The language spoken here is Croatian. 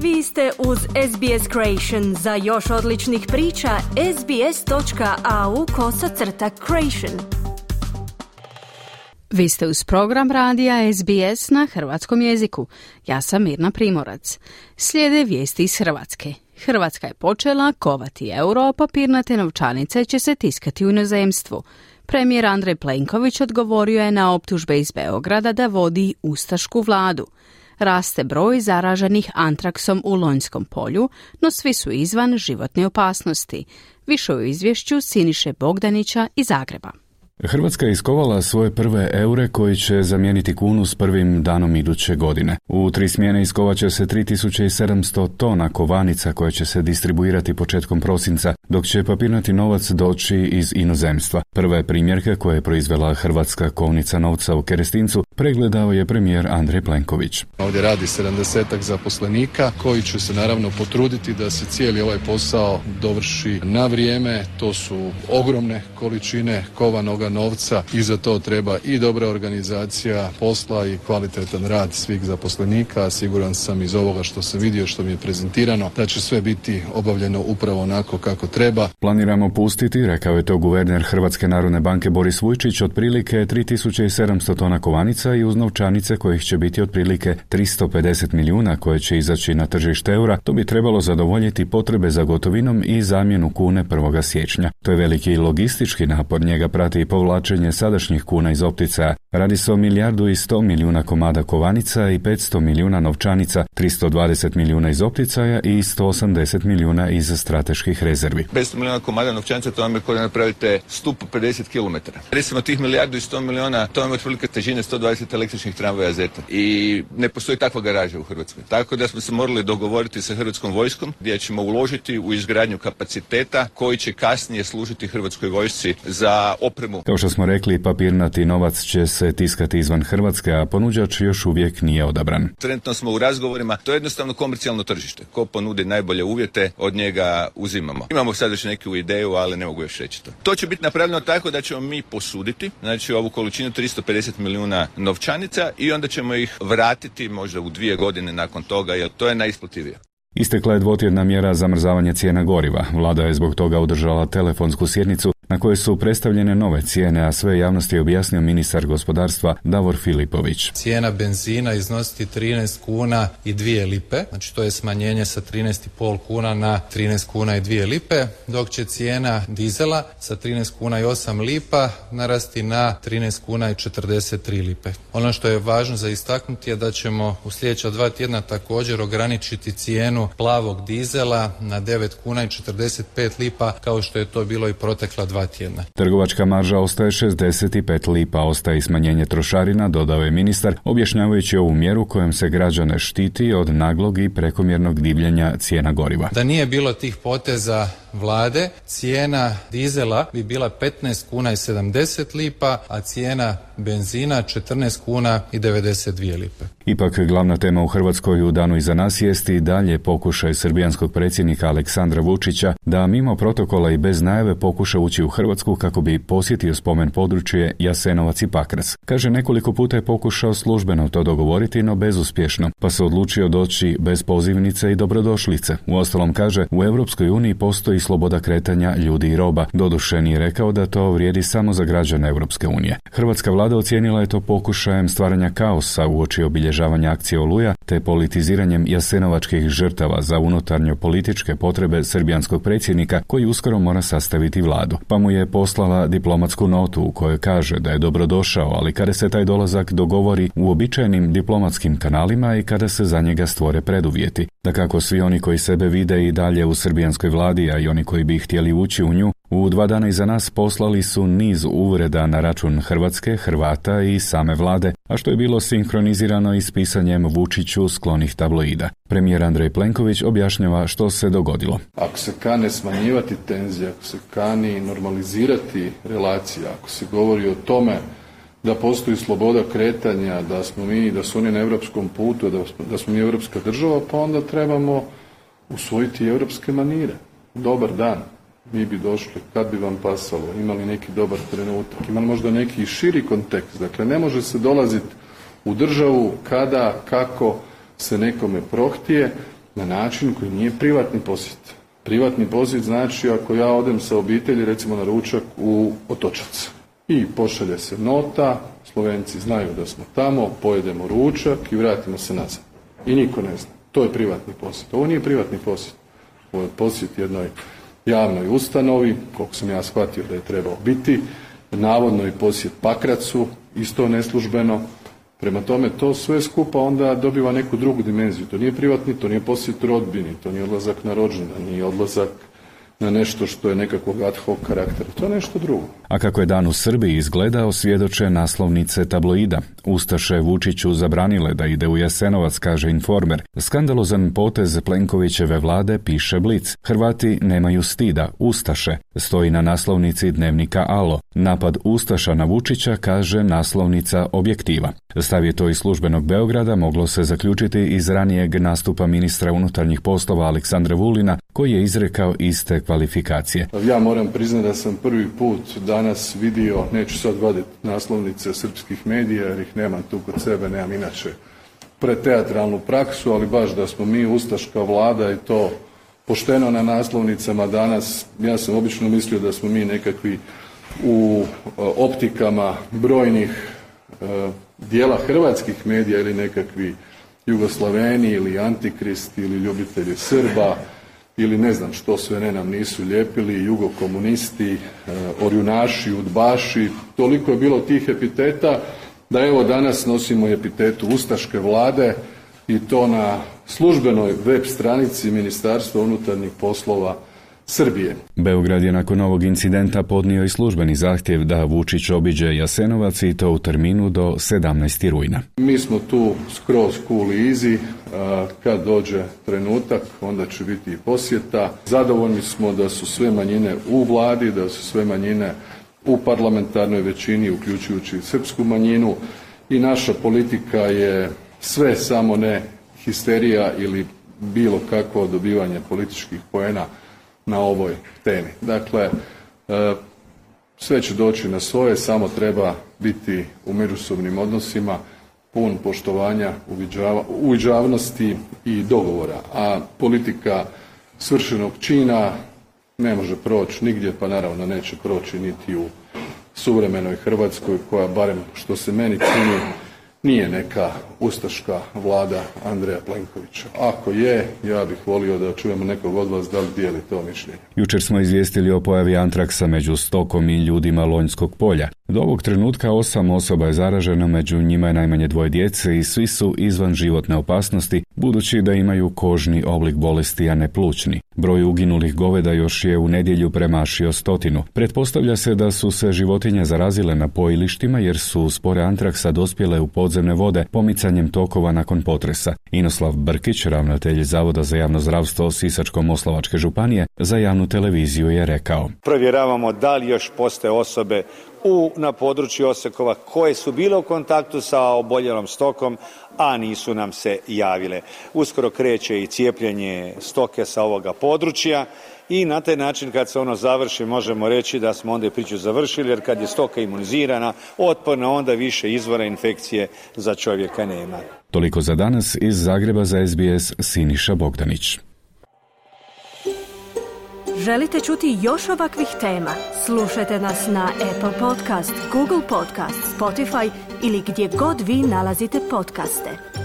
Vi ste uz SBS Creation. Za još odličnih priča, sbs.au/creation. Vi ste uz program radija SBS na hrvatskom jeziku. Ja sam Mirna Primorac. Slijede vijesti iz Hrvatske. Hrvatska je počela kovati euro, papirnate novčanice će se tiskati u inozemstvu. Premijer Andrej Plenković odgovorio je na optužbe iz Beograda da vodi ustašku vladu. Raste broj zaraženih antraksom u Lonjskom polju, no svi su izvan životne opasnosti. Više u izvješću Siniše Bogdanića iz Zagreba. Hrvatska je iskovala svoje prve eure koji će zamijeniti kunu s prvim danom iduće godine. U 3 smjene iskovat će se 3700 tona kovanica koje će se distribuirati početkom prosinca, dok će papirnati novac doći iz inozemstva. Prve primjerke koje je proizvela Hrvatska kovnica novca u Kerestincu pregledao je premijer Andrej Plenković. Ovdje radi 70-ak zaposlenika koji će se naravno potruditi da se cijeli ovaj posao dovrši na vrijeme. To su ogromne količine kovanoga novca i za to treba i dobra organizacija posla i kvalitetan rad svih zaposlenika. Siguran sam iz ovoga što sam vidio, što mi je prezentirano, da će sve biti obavljeno upravo onako kako treba. Planiramo pustiti, rekao je to guverner Hrvatske narodne banke Boris Vujčić, otprilike 3700 tona kovanica i uz novčanice kojih će biti otprilike 350 milijuna koje će izaći na tržište eura. To bi trebalo zadovoljiti potrebe za gotovinom i zamjenu kune 1. siječnja. To je veliki logistički napor, njega prati i povlačenje sadašnjih kuna iz opticaja. Radi se o 1.100 milijuna komada kovanica i 500 milijuna novčanica, 320 milijuna iz opticaja i 180 milijuna iz strateških rezervi. 500 milijuna komada novčanica, to vam je kada napravite stup 50 km. Recimo tih 1.100 milijuna, to vam je otprilike težine 120 električnih tramvaja Zeta. I ne postoji takva garaža u Hrvatskoj. Tako da smo se morali dogovoriti sa Hrvatskom vojskom gdje ćemo uložiti u izgradnju kapaciteta koji će kasnije služiti Hrvatskoj vojsci za opremu. Kao što smo rekli, papirnati novac će se tiskati izvan Hrvatske, a ponuđač još uvijek nije odabran. Trenutno smo u razgovorima, to je jednostavno komercijalno tržište. Ko ponudi najbolje uvjete, od njega uzimamo. Imamo sad još neku ideju, ali ne mogu još reći to. To će biti napravljeno tako da ćemo mi posuditi, znači ovu količinu 350 milijuna novčanica i onda ćemo ih vratiti možda u 2 godine nakon toga, jer to je najisplativije. Istekla je 2-tjedna mjera zamrzavanja cijena goriva. Vlada je zbog toga održala telefonsku sjednicu na kojoj su predstavljene nove cijene, a sve javnosti je objasnio ministar gospodarstva Davor Filipović. Cijena benzina iznositi 13 kuna i 2 lipe, znači to je smanjenje sa 13,5 kuna na 13 kuna i 2 lipe, dok će cijena dizela sa 13 kuna i 8 lipa narasti na 13 kuna i 43 lipe. Ono što je važno za istaknuti je da ćemo u sljedeća 2 tjedna također ograničiti cijenu plavog dizela na 9 kuna i 45 lipa, kao što je to bilo i protekla 2 tjedna. Trgovačka marža ostaje 65 lipa, ostaje i smanjenje trošarina, dodao je ministar, objašnjavajući ovu mjeru kojom se građane štiti od naglog i prekomjernog divljenja cijena goriva. Da nije bilo tih poteza vlade, cijena dizela bi bila 15 kuna i 70 lipa, a cijena benzina 14 kuna i 92 lipe. Ipak glavna tema u Hrvatskoj u danu iza nas jest i dalje pokušaj srbijanskog predsjednika Aleksandra Vučića da mimo protokola i bez najave pokuša ući u Hrvatsku kako bi posjetio spomen područje Jasenovac i Pakrac. Kaže, nekoliko puta je pokušao službeno to dogovoriti, no bezuspješno, pa se odlučio doći bez pozivnice i dobrodošlice. Uostalom, kaže, u Europskoj uniji postoji sloboda kretanja ljudi i roba. Doduše nije rekao da to vrijedi samo za građane Europske unije. Hrvatska vlada ocijenila je to pokušajem stvaranja kaosa uoči obilježavanja akcije Oluja te politiziranjem jasenovačkih žrtava za unutarnjo političke potrebe srbijanskog predsjednika koji uskoro mora sastaviti vladu. Pa mu je poslala diplomatsku notu u kojoj kaže da je dobrodošao, ali kada se taj dolazak dogovori uobičajenim diplomatskim kanalima i kada se za njega stvore preduvjeti. Dakako, svi oni koji sebe vide i dalje u srbijanskoj vladi, a i oni koji bi htjeli ući u nju, u 2 dana iza nas poslali su niz uvreda na račun Hrvatske, Hrvata i same vlade, a što je bilo sinkronizirano i s pisanjem Vučiću sklonih tabloida. Premijer Andrej Plenković objašnjava što se dogodilo. Ako se kane smanjivati tenzije, ako se kani normalizirati relacija, ako se govori o tome da postoji sloboda kretanja, da smo mi, da su oni na europskom putu, da smo mi europska država, pa onda trebamo usvojiti europske manire. Dobar dan. Mi bi došli, kad bi vam pasalo, imali neki dobar trenutak, imali možda neki širi kontekst. Dakle, ne može se dolaziti u državu kada, kako se nekome prohtije, na način koji nije privatni posjet. Privatni posjet znači ako ja odem sa obitelji recimo na ručak u Otočac i pošalje se nota, Slovenci znaju da smo tamo, pojedemo ručak i vratimo se nazad. I niko ne zna. To je privatni posjet. Ovo nije privatni posjet. Ovo je posjet jednoj javnoj ustanovi, koliko sam ja shvatio da je trebao biti, navodno i posjet Pakracu, isto neslužbeno. Prema tome, to sve skupa onda dobiva neku drugu dimenziju. To nije privatni, to nije posjet rodbini, to nije odlazak na rođendan, nije odlazak na nešto što je nekakvog ad hoc karaktera. To je nešto drugo. A kako je dan u Srbiji izgledao, svjedoče naslovnice tabloida. Ustaše Vučiću zabranile da ide u Jasenovac, kaže Informer. Skandalozan potez Plenkovićeve vlade, piše Blic. Hrvati nemaju stida, Ustaše. Stoji na naslovnici dnevnika Alo. Napad Ustaša na Vučića, kaže naslovnica Objektiva. Stav je to iz službenog Beograda moglo se zaključiti iz ranijeg nastupa ministra unutarnjih poslova Aleksandra Vulina, koji je izrekao iste kvalifikacije. Ja moram priznati da sam prvi put danas vidio, neću sad vaditi naslovnice srpskih medija jer ih nemam tu kod sebe, nemam inače preteatralnu praksu, ali baš da smo mi ustaška vlada i to pošteno na naslovnicama danas. Ja sam obično mislio da smo mi nekakvi u optikama brojnih dijela hrvatskih medija ili nekakvi Jugoslaveni ili Antikrist ili ljubitelji Srba ili ne znam što sve ne nam nisu lijepili, jugokomunisti, orjunaši, udbaši, toliko je bilo tih epiteta da evo danas nosimo epitetu ustaške vlade i to na službenoj web stranici Ministarstva unutarnjih poslova Srbije. Beograd je nakon ovog incidenta podnio i službeni zahtjev da Vučić obiđe Jasenovac i to u terminu do 17. rujna. Mi smo tu skroz cool i easy, kad dođe trenutak onda će biti i posjeta. Zadovoljni smo da su sve manjine u vladi, da su sve manjine u parlamentarnoj većini, uključujući srpsku manjinu i naša politika je sve samo ne histerija ili bilo kakvo dobivanje političkih poena na ovoj temi. Dakle, sve će doći na svoje, samo treba biti u međusobnim odnosima, pun poštovanja, uviđavnosti i dogovora. A politika svršenog čina ne može proći nigdje, pa naravno neće proći niti u suvremenoj Hrvatskoj, koja barem što se meni čini nije neka ustaška vlada Andreja Plenkovića. Ako je, ja bih volio da čujemo nekog od vas da li dijeli to mišljenje. Jučer smo izvijestili o pojavi antraksa među stokom i ljudima Lonjskog polja. Do ovog trenutka 8 osoba je zaraženo, među njima je najmanje 2 djece i svi su izvan životne opasnosti, budući da imaju kožni oblik bolesti, a ne plućni. Broj uginulih goveda još je u nedjelju premašio 100. Pretpostavlja se da su se životinje zarazile na pojilištima jer su spore antraksa dospjele u podzemne vode pomicanjem tokova nakon potresa. Inoslav Brkić, ravnatelj Zavoda za javno zdravstvo Sisačko-moslavačke županije, za javnu televiziju je rekao: Provjeravamo da li još postoje osobe na području Osekova koje su bile u kontaktu sa oboljelom stokom, a nisu nam se javile. Uskoro kreće i cijepljenje stoke sa ovoga područja i na taj način kad se ono završi možemo reći da smo onda i priču završili, jer kad je stoka imunizirana, otporna, onda više izvora infekcije za čovjeka nema. Toliko za danas. Iz Zagreba za SBS Siniša Bogdanić. Želite čuti još ovakvih tema? Slušajte nas na Apple Podcast, Google Podcast, Spotify ili gdje god vi nalazite podcaste.